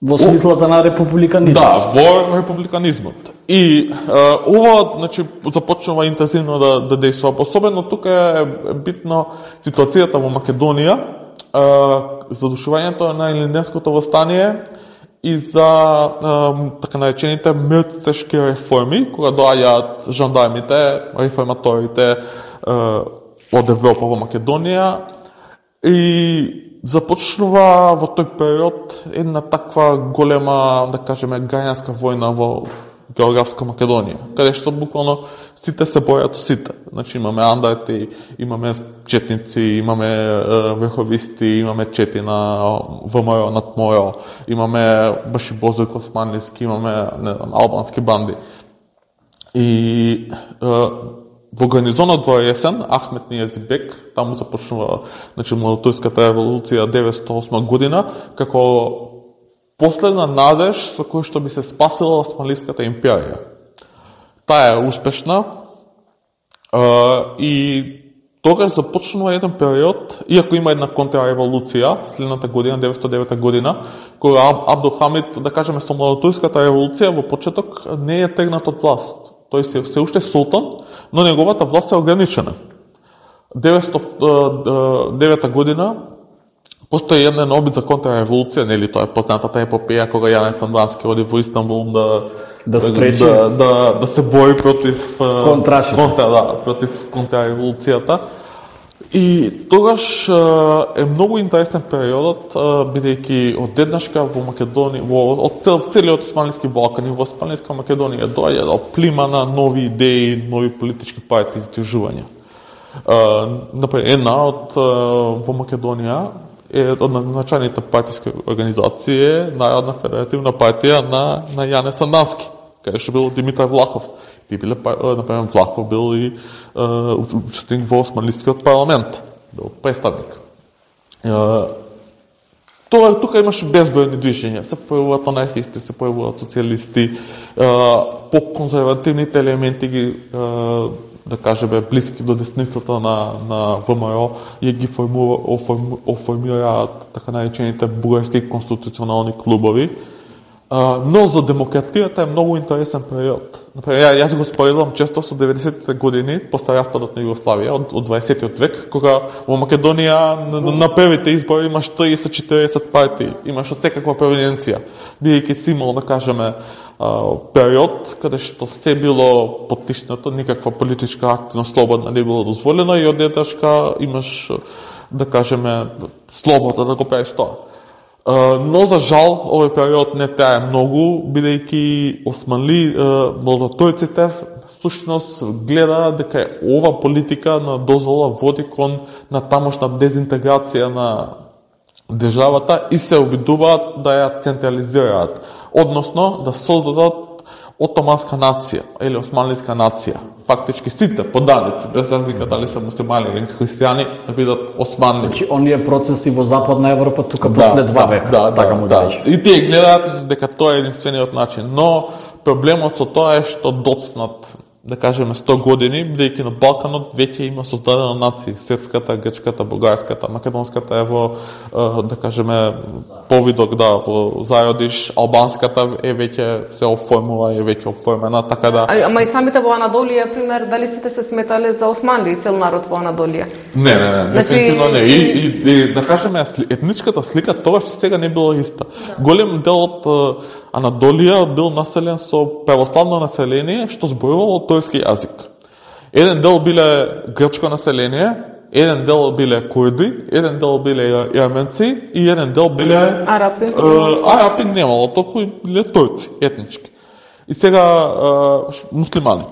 Во смислата на републиканизмот. Да, во републиканизмот. И а, ова, значи, започнува интензивно да, да действува. Особено тука е битно ситуацијата во Македонија, а, задушувањето на Илинденското восстание и за а, така наречените мртвешки реформи, кога доаѓаат жандармите, реформаторите а, од Европа во Македонија и започнува во тој период една таква голема, да кажеме, граѓанска војна во географска Македонија, каде што буквално сите се бојат сите. Значи имаме андарти, имаме четници, имаме е, верховисти, имаме чети на ВМРО над МОРО, имаме баши Бозојко Османлиски, имаме не знам, албански банди. И е, во гарнизонот во Есен, Ахмет Нијазибек, таму започнува, значи, младотурската револуција деветстотини и осма година, како последна надеж со кој што би се спасила Османлиската империја. Таа е успешна и тогаш започнува еден период, иако има една контрареволуција, следната година, деветстотини и девета година, кога Абдулхамид, да кажеме, со младотурската револуција во почеток не е тргнат од власт. Тој се, се уште султан, но неговата власт е ограничена. деветстотини и девета година постои еден обид за контрареволуција, нели, тоа е познатата епопеја кога Јане Сандански оди во Истанбул да да спречи да, да, да се бори против контрашите. Контра, да, против контрареволуцијата. И тогаш е многу интересен периодот, бидејќи одеднашка во Македонија, во од цел, целиот Османлиски Балкан и во Османлиска Македонија доаѓа до плима на нови идеи, нови политички партии и движувања. Например, една од во Македонија е од назначените партиски организации Народна федеративна партија на на Јане Сандански, каде што бил Димитар Влахов. Ти биле, например, Влахов бил и учесник во Османлискиот парламент, бил представник. Тоа тука имаше безбројни движења, се појавуваат анархисти, се појавуваат социјалисти, по-конзервативните елементи ги да кажеме, блиски до десницата на, на ВМРО и ги оформираат така наречените бугарски конституционални клубови. Uh, но за демократијата е многу интересен период. Например, јас го споредувам често со деветдесетите години, после распадот на Југославија, од, од дваесеттиот век, кога во Македонија на, на првите избори имаш триесет до четириесет партии, имаш од секаква провиненција, бидејќи си имал, да кажеме, uh, период каде што се било поттишнато, никаква политичка активност слободна не било дозволена и одеднашка имаш, да кажеме, слобода да го правиш тоа. Uh, но за жал овој период не трае многу, бидејќи османли uh, младотојците всушност гледа дека ова политика на дозвола води кон на тамошна дезинтеграција на државата и се обидуваат да ја централизираат, односно да создадат отоманска нација или османлиска нација. Фактички сите поданици, без разлика дали се муслимани или христијани, да бидат османли. Значи, оние процеси во Западна Европа тука да, после два века, да, така да, му да. рече. И тие гледаат дека тоа е единствениот начин, но проблемот со тоа е што доцнат, да кажеме, сто години, бидејќи на Балканот веќе има создадена нации, српската, грчката, бугарската, македонската е во, да кажеме, повидок, да, во зајодиш, албанската е веќе се оформува, е веќе оформена, така да... А, ама и самите во Анадолија, пример, дали сите се сметале за османли и цел народ во Анадолија? Не, не, не, дефинитивно не. И, и, и да кажеме, етничката слика тогаш сега не била иста. Да. Голем дел од Анадолија бил населен со православно население, што зборувало турски јазик. Еден дел биле грчко население, еден дел биле курди, еден дел биле јарменци и еден дел биле арапи. Е, арапи немало, толку биле турци, етнички. И сега е, муслимани.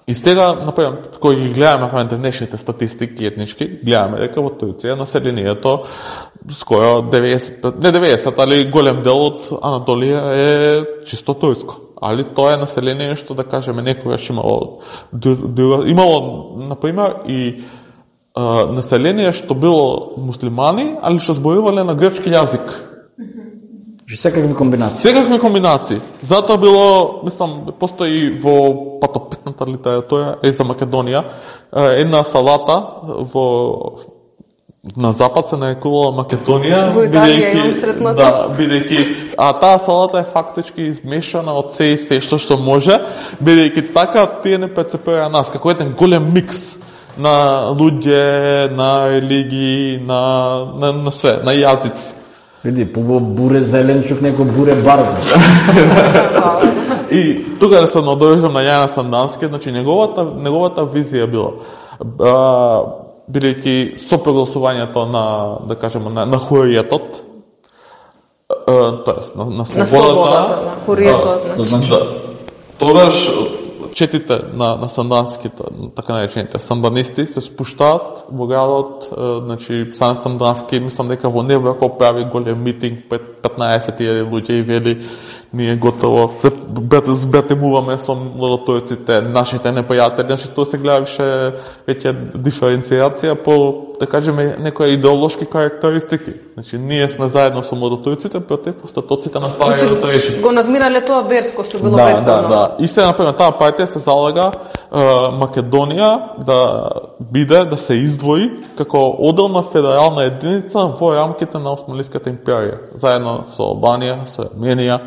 И сега, например, кои ги гледаме во денешните статистики етнички, гледаме дека во Турција населението скоро деветдесет, не деветдесет, али голем дел од Анадолија е чисто турско. Али тоа е население што, да кажеме, некогаш имало, имало, например, и а, население што било муслимани, али што зборувале на грчки јазик. Секакви комбинации. Секакви комбинации. Затоа било, мислам, постои во патопитната литература е за Македонија една салата во на запад се нарекувала Македонија, бидејќи да, бидејќи а таа салата е фактички измешана од се и се што што може, бидејќи така тие не прецепира нас како еден голем микс на луѓе, на религии, на на, на све, на јазици. Види, побо буре зеленчук, неко буре барбу. И тука да се надовежам на Јана Сандански, значи неговата, неговата визија била, а, бидејќи со прогласувањето на, да кажеме, на, на хуријетот, тоест на, на слободата, на слободата, на хуријетот, значи, да, тогаш четите на, на санданските, така наречените санданисти, се спуштаат во градот, значи, Сан Сандански, мислам дека во Неврко прави голем митинг пред петнаесет илјади луѓе и вели, ние готово се збратимуваме со младотојците, нашите непријатели, значи тоа се гледаше веќе диференцијација по, да кажеме, некои идеолошки карактеристики. Значи, ние сме заедно со младотојците, против остатоците на стариот значи, режим. Го надмирале тоа верско што било да, претходно. Да, да, и се, например, таа партија се залага е, Македонија да биде, да се издвои како одделна федерална единица во рамките на Османлиската империја, заедно со Албанија, со Арменија.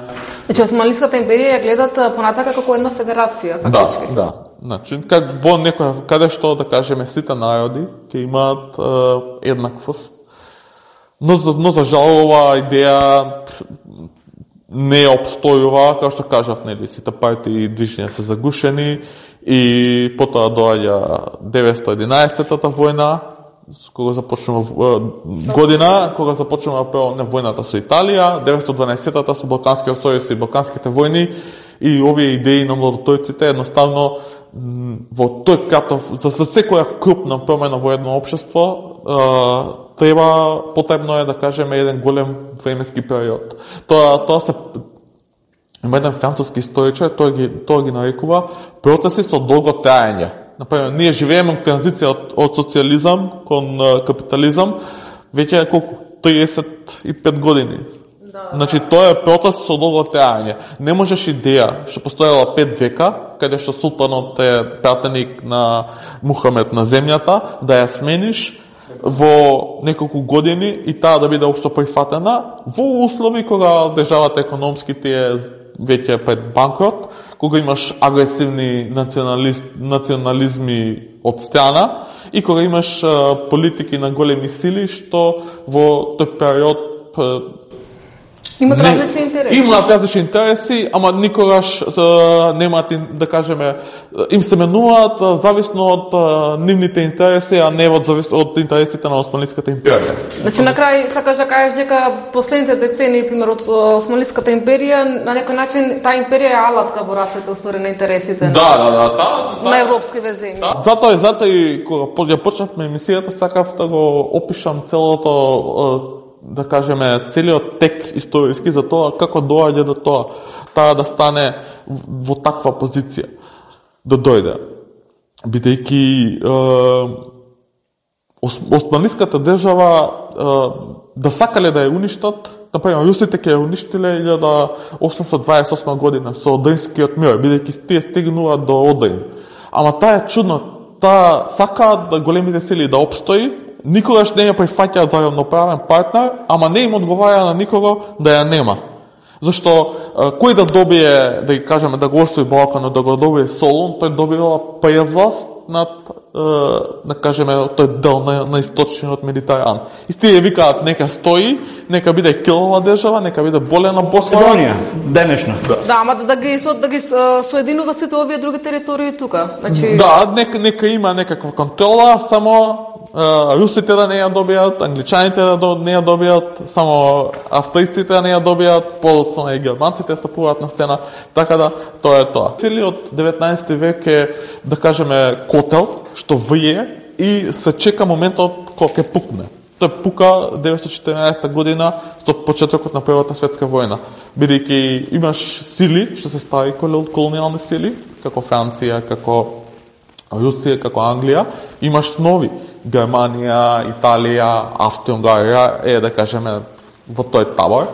Значи, Османлиската империја ја гледат понатака како една федерација, фактички. Да, да. Значи, как во некоја, каде што, да кажеме, сите народи ќе имаат е, еднаквост. Но, но за жал оваа идеја не обстојува, како што кажав, нели, сите партии и движења се загушени и потоа доаѓа деветстотини и единаесеттата војна, кога започнува година, кога започнува прво не војната со Италија, деветстотини и дванаесеттата со Балканскиот сојуз и Балканските војни и овие идеи на младотојците едноставно во тој кратов, за, за секоја крупна промена во едно општество треба, потребно е да кажеме еден голем временски период. Тоа тоа се има еден француски историчар, тој ги тоа ги нарекува процеси со долго траење. Например, ние живееме транзиција од, од социјализам кон капитализам веќе колку триесет и пет години. Да, значи тоа е процес со долго траење. Не можеш идеја што постоела пет века, каде што султанот е пратеник на Мухамед на земјата, да ја смениш во неколку години и таа да биде општо прифатена во услови кога државата економски ти е веќе пред банкрот, кога имаш агресивни националист, национализми од страна и кога имаш а, политики на големи сили што во тој период имат различни интереси. Имаат различни интереси, ама никогаш а, немаат, да кажеме, им се менуваат зависно од а, нивните интереси, а не од зависно од интересите на Османлиската империја. Значи на крај сакаш да кажеш дека последните децении, пример од Османлиската империја, на некој начин таа империја е алатка во рацете уствари на интересите на Да, да, да, да, на европски веземи. Да. Затоа и затоа и кога ја почнавме емисијата, сакав да го опишам целото, да кажеме, целиот тек историски за тоа како доаѓа до тоа, таа да стане во таква позиција, да дојде. Бидејќи е, Османлиската држава е, да сакале да ја уништат, например, русите ќе ја уништиле илјада осумстотини дваесет и осма година со Одринскиот мир, бидејќи тие стигнуваат до Одрин. Ама таа е чудно, таа сакаат да големите сили да опстои, никогаш не ја прифаќаат за равноправен партнер, ама не им одговара на никого да ја нема. Зашто кој да добие, да ги кажеме, да го освои Балканот, да го добие Солун, тој добива превласт над, да кажеме, тој дел на, на источниот Медитеран. И тие викаат нека стои, нека биде килова држава, нека биде болена Босна. Македонија, денешна. Да, да, ама да ги со да ги соединува сите овие други територии тука. Значи Да, нека нека има некаква контрола, само русите да не ја добијат, англичаните да не ја добијат, само австријците да не ја добијат, подоцна и германците стапуваат на сцена, така да тоа е тоа. Целиот деветнаесети век е, да кажеме, котел што вие и се чека моментот кога ќе пукне. Тоа пука деветстотини и четиринаесетта година со почетокот на Првата светска војна, бидејќи имаш сили што се стари колонијални сили, како Франција, како Русија, како Англија, имаш нови. Германија, Италија, Австрија-Унгарија е, да кажеме, во тој табор,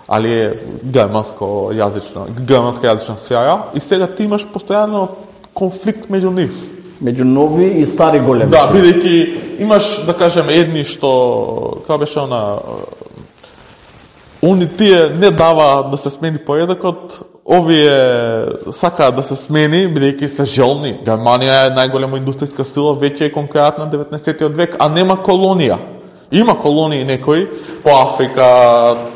али е германско јазична, германска јазична сфера, и сега ти имаш постојано конфликт меѓу нив. Меѓу нови и стари големи. Да, бидејќи имаш, да кажеме, едни што, како беше она, они тие не дава да се смени поредокот, овие сакаат да се смени, бидејќи се желни. Германија е најголема индустријска сила, веќе е конкурентна деветнаесеттиот век, а нема колонија. Има колонии некои по Африка,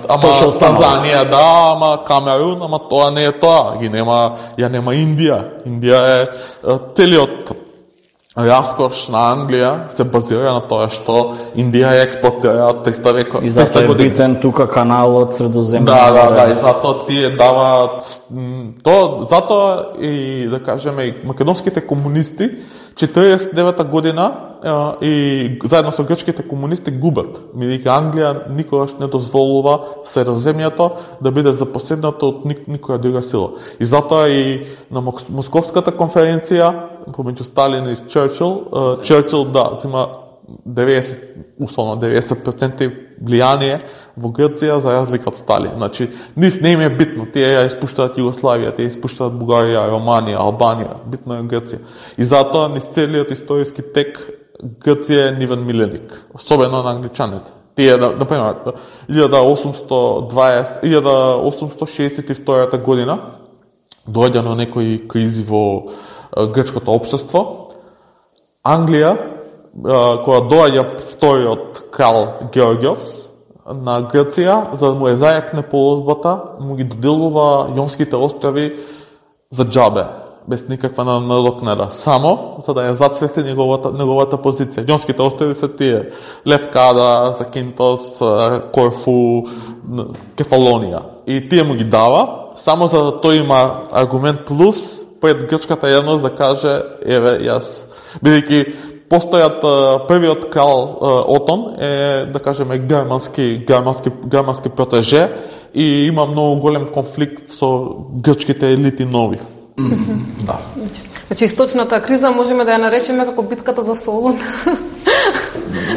ама Танзанија, да, ама Камерун, ама тоа не е тоа. Ги нема, ја нема Индија. Индија е целиот раскош на Англија се базира на тоа што Индија ја експлоатира од триста века. И затоа е битен тука каналот Средоземно. Да, да, да, и затоа тие даваат тоа, затоа и да кажеме и македонските комунисти четиридесет и девета година и заедно со грчките комунисти губат. Бидејќи Англија никогаш не дозволува Средоземјето да биде запоседнато од никоја друга сила. И затоа и на Московската конференција помеѓу Сталин и Черчил, Черчил да зема деветдесет, условно деветдесет проценти влијание во Грција за разлика од Сталин. Значи, нив не им е битно. Тие ја испуштаат Југославија, тие испуштаат Бугарија, Романија, Албанија. Битно е Грција. И затоа низ целиот историски тек Грција е нивен миленик, особено на англичаните. Тие, например, илјада осумстотини шеесет и втора година доаѓа на некои кризи во грчкото општество. Англија, кога доаѓа вториот крал Георгиос на Грција, за да му е зајакне полозбата, му ги доделува Јонските острови за џабе, без никаква надокнада, само за да ја зацвести неговата, неговата позиција. Јонските острови се тие Левкада, Закинтос, Корфу, Кефалонија. И тие му ги дава, само за да тој има аргумент плюс пред грчката јавност да каже, еве, јас, бидејќи постојат првиот крал Отон е, да кажеме, германски, германски, германски протеже и има многу голем конфликт со грчките елити нови. Mm-hmm. Да. Значи, источната криза можеме да ја наречеме како битката за Солун.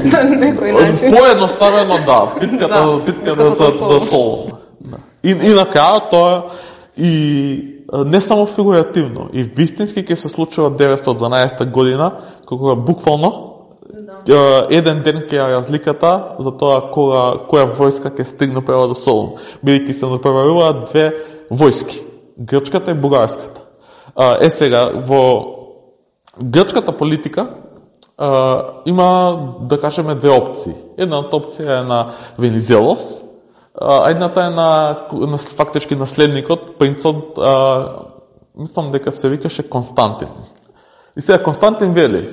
На некој начин. Поедноставено, да, битката, да, битката, битката за, за Солун. И, и на крајот тоа и не само фигуративно, и вистински ќе се случува деветстотини и дванаесета година, кога буквално да. еден ден ќе е разликата за тоа кога која војска ќе стигне прво до Солун, бидејќи се натпреваруваат две војски, грчката и бугарската. Е сега во грчката политика а, има, да кажеме, две опции. Едната опција е на Венизелос, а едната е на, на фактички наследникот, принцот, а, мислам дека се викаше Константин. И сега Константин вели,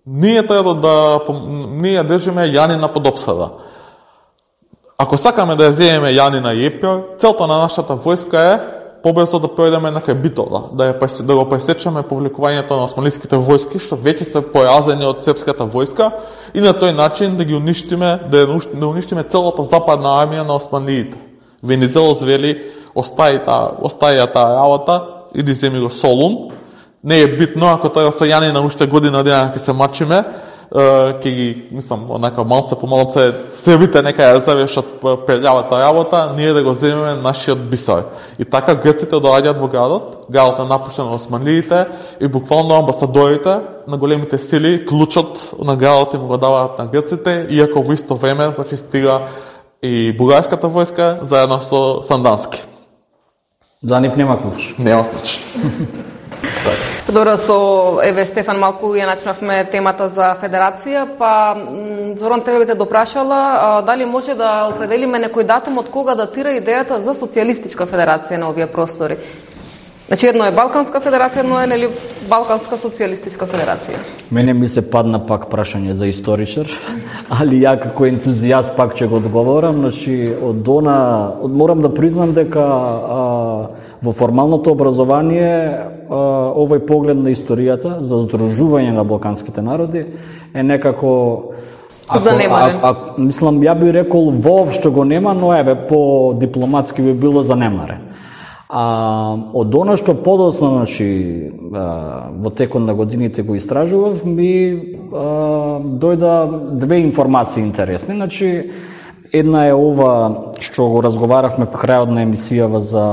ние треба да, ние ја држиме Јанина под опсада. Ако сакаме да ја земеме Јанина и Епир, целта на нашата војска е побрзо да пројдеме на крај битова, да, ја, да го пресечеме повлекувањето на османлиските војски, што веќе се поразени од српската војска, и на тој начин да ги уништиме, да ја да уништиме целата западна армија на османлиите. Венизелос вели, остаи таа, остаи таа работа, иди земи го Солун. Не е битно, ако тоа со Јанина уште година дена ќе се мачиме, ќе ги, мислам, онака малце по малце србите нека ја завршат прелјавата работа, ние да го земеме нашиот бисар. И така грците доаѓаат во градот, градот е напуштен од османлиите и буквално амбасадорите на големите сили клучот на градот им го даваат на грците, иако во исто време значи стига и бугарската војска заедно со Сандански. За нив нема клуч. Нема клуч. Добро, со еве Стефан малку ја начнавме темата за федерација, па Зоран тебе би те допрашала а, дали може да определиме некој датум од кога датира идејата за социјалистичка федерација на овие простори. Значи едно е Балканска федерација, едно е нели Балканска социјалистичка федерација. Мене ми се падна пак прашање за историчар, али ја како ентузијаст пак ќе го одговорам. Значи од она од, морам да признам дека а, во формалното образование а, овој поглед на историјата за здружување на балканските народи е некако ако, занемарен. А, а, мислам, ја би рекол воопшто го нема, но еве по дипломатски би било занемарен. А од она што подоцна, значи, во текот на годините го истражував, ми а, дојда две информации интересни. Значи, една е ова што го разговаравме по крајот на емисијава за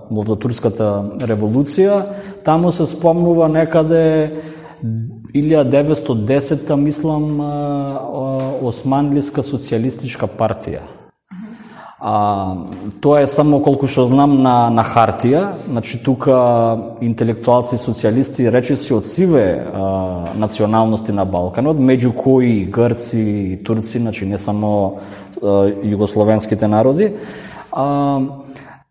во турската револуција. Таму се спомнува некаде илјада деветстотини и десета, мислам, Османлиска социјалистичка партија. А, тоа е само колку што знам на, на хартија, значи тука интелектуалци, социјалисти, речиси од сиве а, националности на Балканот, меѓу кои грци и турци, значи не само а, југословенските народи. А,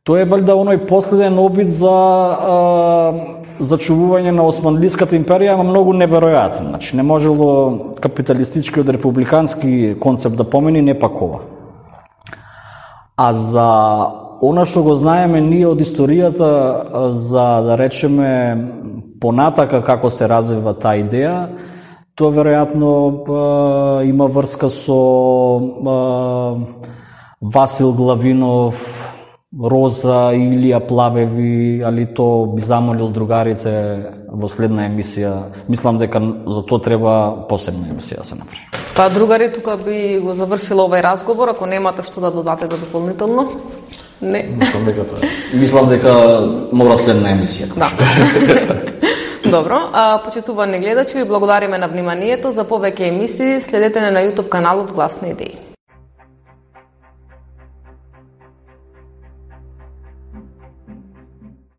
тоа е валјда оној последен обид за а, зачувување на Османлиската империја, ама многу неверојатен. Значи не можело капиталистички од републикански концепт да помени, не пак ова. А за она што го знаеме ние од историјата, за да речеме понатака како се развива таа идеја, тоа веројатно има врска со Васил Главинов, Роза, Илија Плавеви, али то би замолил другарите во следна емисија. Мислам дека за тоа треба посебна емисија да се направи. Па другари, тука би го завршила овој разговор, ако немате што да додатете дополнително. Не. Мислам дека тоа е. Мислам дека мора следна емисија. Да. Добро, а, почитувани гледачи, ви благодариме на вниманието. За повеќе емисии следете на YouTube каналот Глас на идеи.